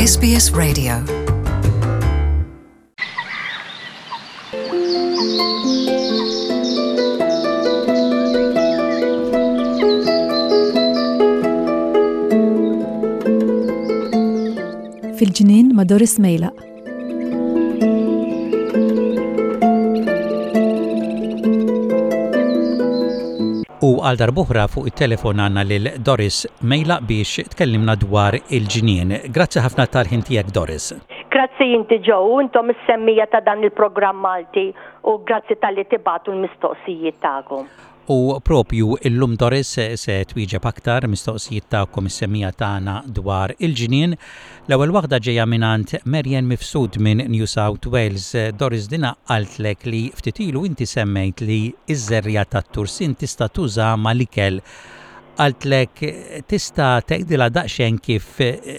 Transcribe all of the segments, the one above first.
SBS Radio. Fil-ġnien ma' Doris Mejlaq. U għal darb'oħra fuq it-telefon għandna lil Doris Mejlaq biex tkellimna dwar il-ġnien. Grazzi ħafna tal-ħin tiegħek Doris. Grazzi inti Joe u intom is-semmiegħa ta' dan il-programm Malti u grazzi talli tibagħtu l-mistoqsijiet tagħkom. U propju illum Doris se twieġeb aktar mistoqsijiet tagħkom is-semmiegħa tagħna dwar il-ġnien. L-ewwel waħda ġejja mingħand Marian Mifsud minn New South Wales. Doris dina qaltlek li ftit ilu inti semmejt li ż-żerriegħa tat-tursin tista' tuża mal-ikel. Qaltlek tista' tgħidilha daqsxejn kif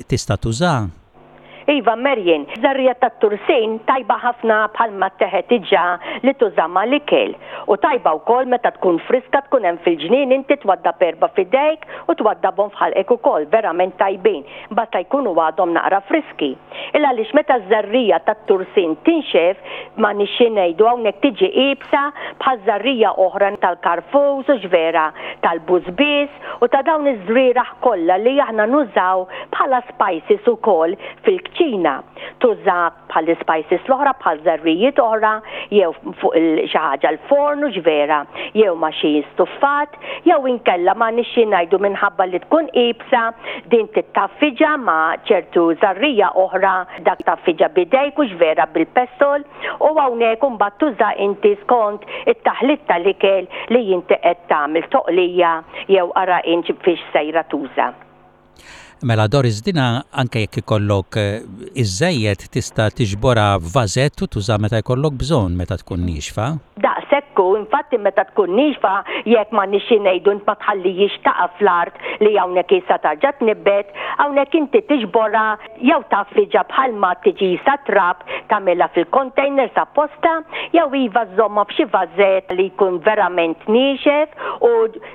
tista' tuża? Iva Marian, żerriegħa tat-tursin tajba ħafna bħalma tteħed diġà li tuża mal-ikel. U tajba wkoll meta tkun friska tkun hemm fil-ġnien inti twaddab erba' f'idejk u twaddabhom f'ħalqek ukoll, verament tajbin, basta jkunu għadhom naqra friski. Il għaliex meta ż-żerriegħa tat-tursin tinxef, m'għandniex xi ngħidu hawnhekk tiġi iebsa bħal żerriegħa oħra tal-karfus hux vera, tal-bużbież, u ta' dawn iż-żrieragħ kollha li aħna nużaw bħala spices ukoll fil-kċina. Tuża bħall-ispices l-oħra bħal żerrijiet oħra jew fuq xi ħaġa l-forn hux vera, jew ma' xi stuffat, jew inkella m'għandniex xi ngħidu minħabba li tkun iebsa din tittaffiġa ma' ċertu żarrija oħra dak taffiġa b'idejk hux vera bil-pestol. U hawnhekk imbagħad tuża inti skont it-taħlit tal-ikel li inti qed tagħmel toqlija jew ara int fiex sejra tuża. Mela Doris dina anke jekk ikollok iżżejjed tista' tiġborha f'vażett u tuża meta jkollok bżonn meta tkun niexfa. Daqshekk hu, infatti meta tkun niexfa jekk m'għandniex xi ngħidu int ma tħallihiex taqa' fl-art li hawnhekk issa tarġa' tnibbet, hawnhekk inti tiġborha jew tgħaffiġha bħalma tiġi sa trab tagħmilha fil-containers apposta jew iva żżommha f'xi vażett li jkun verament niexef u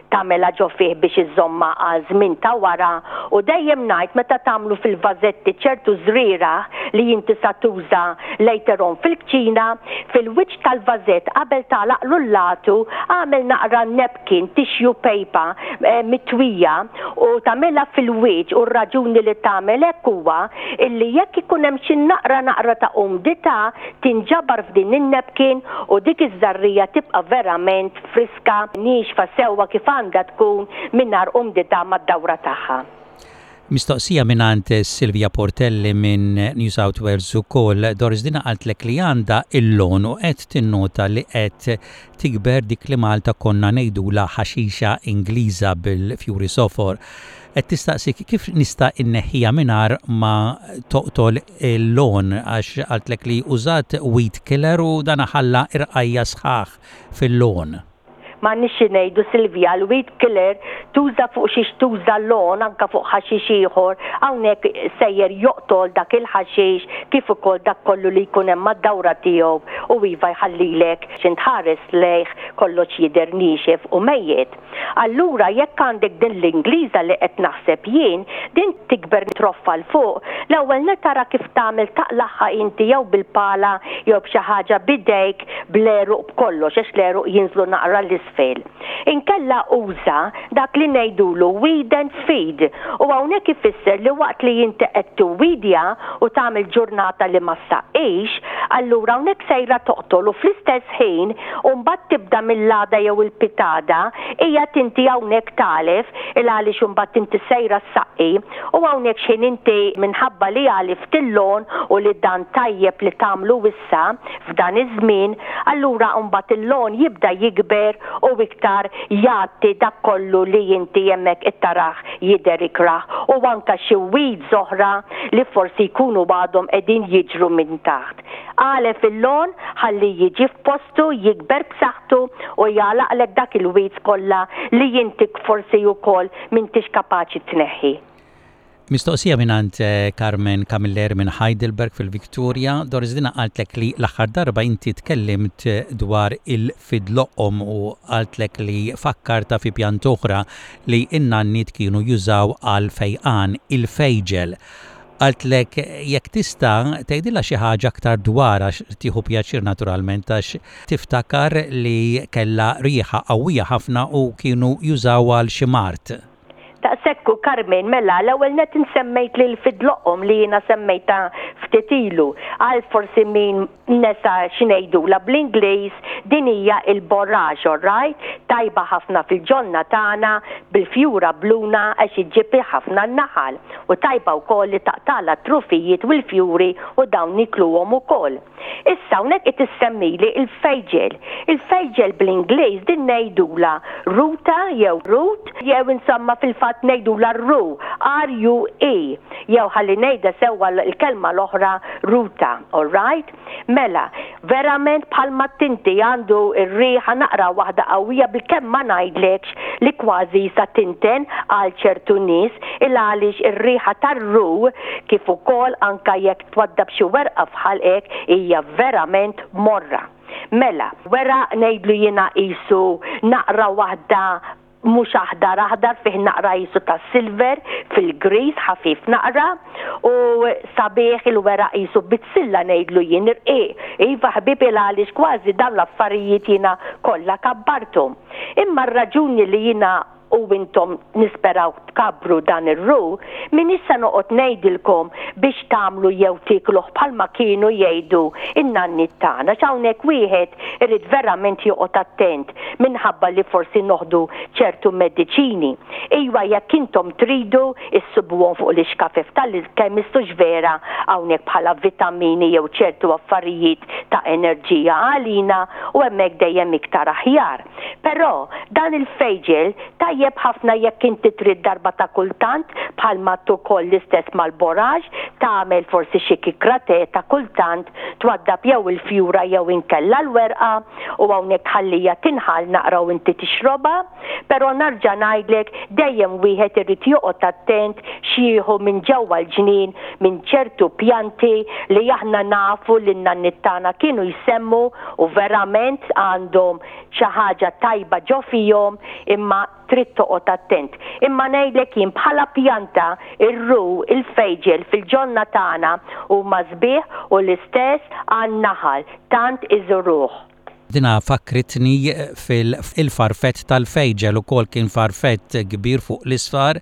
tagħmilha ġo fih biex iżżommha għal żmien ta' wara u dejjem ngħid meta tagħmlu fil-vażetti ċertu żrieragħ li inti sa tuża later on fil-kċina, fil-wiċċ tal-vażett qabel tagħlaqlu l-latu agħmel naqra napkin, tissue paper, mitwija u tagħmilha fil-wiċċ u r-raġuni li tagħmel hekk huwa illi jekk ikun hemm xi naqra naqra ta' umdità tinġabar f'din in-napkin u dik iż-żarrija tibqa' verament friska, niexfa sewwa kif għandha tkun mingħajr umdità mad-dawra tagħha. Mistoqsija mingħand Silvia Portelli minn New South Wales ukoll. Doris dina qaltlek li għandha il-lawn u qed tinnota li qed tikber dik li Malta konna ngħidulha ħaxixa Ingliża bil-fjuri sofor. Qed tistaqsik kif nista' inneħħiha mingħajr ma toqtol il-lawn għax qaltlek li użat weed killer u dan ħalla irqajja' sħaħ fil-lawn. M'għandniex xi ngħidu Silvia, l-weed killer tuża fuq xiex tuża l-lawn anke fuq ħaxix ieħor, hawnhekk sejjer joqtol dak il-ħaxix kif ukoll dak kollu li jkun hemm mad-dawra tiegħu u iva jħallilek x'int tħares lejh kollox jidher niexef u mejjet. Allura jekk għandek din l-Ingliża li qed naħseb jien, din tikber troffa 'l fuq, l-ewwel nett ara kif tagħmel taqlagħha inti jew bil-pala jew b'xi ħaġa b'idejk bl-għeruq b'kollox għax l-għeruq jinżlu naqra 'l isfel. Inkella uża dak li ngħidulu weed and feed u hawnhekk ifisser li waqt li inti qed tiwwidja u tagħmel ġurnata li ma ssaqqix, allura hawnhekk sejra toqtol u fl-istess ħin u mbagħad tibda mill-għada jew il-pitada qiegħed inti hawnhekk tagħlef il għaliex imbagħad inti sejra ssaqqi u hawnhekk x'ħin inti minħabba li għalift il-lawn u li dan tajjeb li tagħmlu issa f'dan iż-żmien, allura mbagħad il-lawn jibda jikber u iktar jgħatti dak kollu li inti hemmhekk qed tarah jidher ikrah u anke xi weeds oħra li forsi jkunu għadhom qegħdin jiġru minn taħt. Agħlef il-lawn ħalli jiġi f'postu, jikber b'saħħtu u jagħlaqlek dak il-weeds kollha li inti forsi wkoll m'intix kapaċi tneħħi. Mistoqsija mingħand Carmen Camilleri minn Heidelberg fil-Victoria, Doris dina qaltlek li l-aħħar darba inti tkellimt dwar il-fidloqom u qaltlek li fakkartha fi pjanta oħra li n-nanniet kienu jużaw għall-fejqan, il-fejġel. Qaltlek jekk tista' tgħidilha xi ħaġa aktar dwarha għax tieħu pjaċir naturalment għax tiftakar li kellha riħa qawwija ħafna u kienu jużawha għal xi mard. Daqshekk hu Carmen, mela l-ewwel nett insemmejt lil Fidloqhom li jiena semmejtha ftit ilu. Għal forsi min nesa x'ngħidulha bl-Ingliż, din hija il-borage, all right? Tajba ħafna fil-ġonna tagħna bil-fjura bluna għax iġġib ħafna n-naħal. U tajba wkoll li taqtagħlha t-trufijiet u l-fjuri u dawn nikluhom ukoll. Issa hawnhekk qed issemmili il-fejġel. Il-fejġel bl-Ingliż din ngħidulha ruta jew root jew insomma fil-fatt ngħidulha ru, R-U-E, jew ħalli ngħidha sewwa l-kelma l-oħra ruta, all right? Mela, verament bħalma tinti għandu r-riħa naqra waħda qawwija bilkemm ma ngħidlekx li kważi sa tinten għal ċertu nies il għaliex ir-riħa tar-ru kif ukoll anke jekk Twaddab xi werqa f'ħalqek hija verament morra. Mela, weraq ngħidlu jiena qisu naqra waħda mhux aħdar aħdar fih naqra qisu ta' silver fil-griż ħafif naqra u sabiħ il-weraq qisu bizzilla ngħidlu jien irqiq. Iva ħbieb il għaliex kważi dawn l-affarijiet jiena kollha kabbarthom. Imma r-raġuni li jiena u intom nisperaw tkabbru dan ir-ru, m'iniex se noqgħod ngħidilkom biex tagħmlu jew tiekluh bħalma kienu jgħidu n-nanniet tagħna għax hawnhekk wieħed irid verament joqgħod attent minħabba li forsi noħdu ċertu mediċini. Iwa jekk intom tridu issibuhom fuq l-ixkafef tal-chemist hux vera hawnhekk bħala vitamini jew ċertu affarijiet ta' enerġija għalina u hemmhekk dejjem iktar aħjar. Però, dan il-fejġel tajjeb ħafna jekk inti trid darba ta' kultant, bħal m'għadt ukoll l-istess mal-borage, tagħmel forsi xi kikra te ta' kultant, twaddab jew il-fjura jew inkella l-werqa u hawnhekk tħalliha tinħall naqra u inti tixrobha. Però narġa' ngħidlek, dejjem wieħed irid joqgħod attent x'jieħu minn ġewwa l-ġnien minn ċertu pjanti li aħna nafu li n-nanniet tagħna kienu jsemmu u verament għandhom xi ħaġa tajba ġo fihom imma trid toqgħod attent. Imma ngħidlek jien bħala pjanta ir-ru, il-fejġel fil-ġonna tagħna huma sbieħ u l-istess għan-naħal tant iżuruh. Dina fakkritni fil-farfett tal-fejġel ukoll kien farfett kbir fuq l-isfar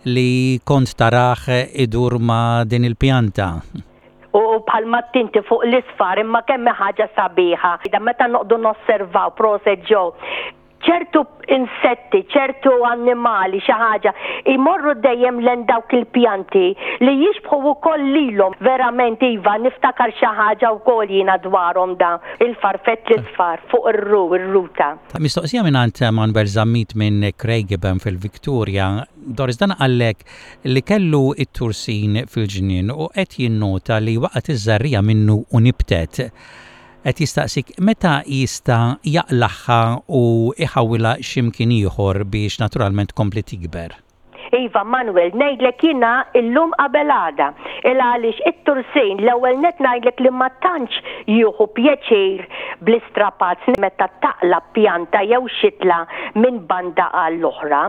li kont tarah idur ma' din il-pjanta. U bħal m'għedt inti fuq l-isfar imma kemm hi ħaġa sabiħa. Meta noqogħdu nosservaw, proset Joe, ċertu insetti, ċertu annimali, xi ħaġa, jmorru dejjem lejn dawk il-pjanti li jixbħu wkoll lilhom. Verament iva, niftakar xi ħaġa wkoll jiena dwarhom da, il-farfett l-isfar fuq ir-ru, ir-ruta. Mistoqsija mingħand Manuel Zammit minn Craigieburn fil-Victoria. Doris, dan qallek li kellu t-tursin fil-ġnien u qed jinnota li waqgħet iż-żerriegħa minnu u nibtet. Qed jistaqsik meta jista' jaqlagħha u jħawwilha xi mkien ieħor biex naturalment tkompli tikber. Iva Manuel, ngħidlek jiena illum qabel għada. Il għaliex it-tursin l-ewwel nett ngħidlek li ma tantx jieħu pjaċir bl-istrapazz meta taqla' pjanta jew xitla minn banda għall-oħra.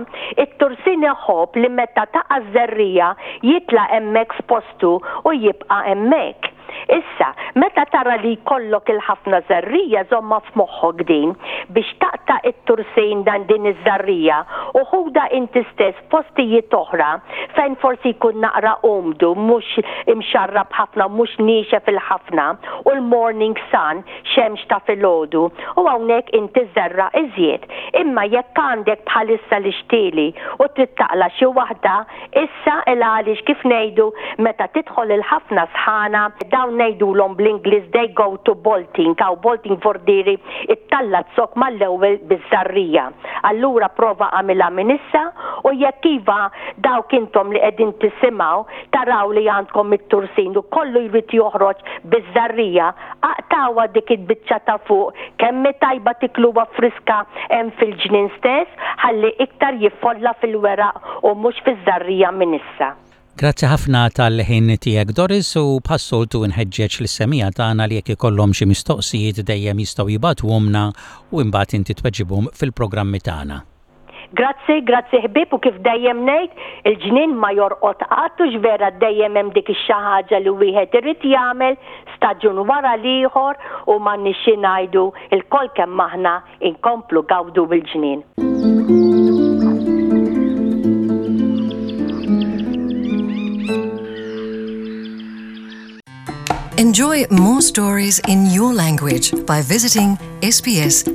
It-tursin iħobb li meta taqa' ż-żerriegħa jitla' hemmhekk f'postu u jibqa' hemmhekk. Issa, meta tara li jkollok il-ħafna żerriegħa żommha f'moħħok din, biex taqta' it-tursin dan din iż-żerriegħa u ħudha inti stess f'postijiet oħra fejn forsi jkun naqra umdu, mhux imxarrab ħafna u mhux niexef il-ħafna u l-morning sun, xemx ta' filgħodu, u hawnhekk inti żerra' iżjed. Imma jekk għandek bħalissa l-ixtieli u trid taqla' xi waħda, Issa il għaliex kif ngħidu meta tidħol il-ħafna sħana dawn ngħidulhom bl-Ingliż they go to bolting hawn bolting vordieri ittalla' z-zokk mal-ewwel biż-żarrija. Allura prova agħmilha minn issa u jekk iva dawk intom li qegħdin tisimgħu taraw li għandkom it-tursin u kollu jrid joħroġ biż-żarrija Aqtgħuha dik il-biċċa ta' fuq, kemm hi tajba tikluha friska hemm fil-ġnien stess ħalli iktar jiffolla fil-weraq u mhux fiż-żarrija minn issa. Grazzi ħafna tal-ħin tiegħek Doris u bħas-soltu nħeġġeġ lis-semmiegħa tagħna li jekk ikollhom xi mistoqsijiet dejjem jistgħu jibagħtuhomlna u imbagħad inti tweġibhom fil-programmi tagħna. Grazzi, grazzi ħbieb u kif dejjem ngħid, il-ġnien ma jorqod qatt hux vera dejjem hemm dik ix-xi ħaġa li wieħed irid jagħmel staġun wara l-ieħor u m'għandniex xi ngħidu lkoll kemm aħna inkomplu gawdu bil-ġnien. Enjoy more stories in your language by visiting sbs.com.au.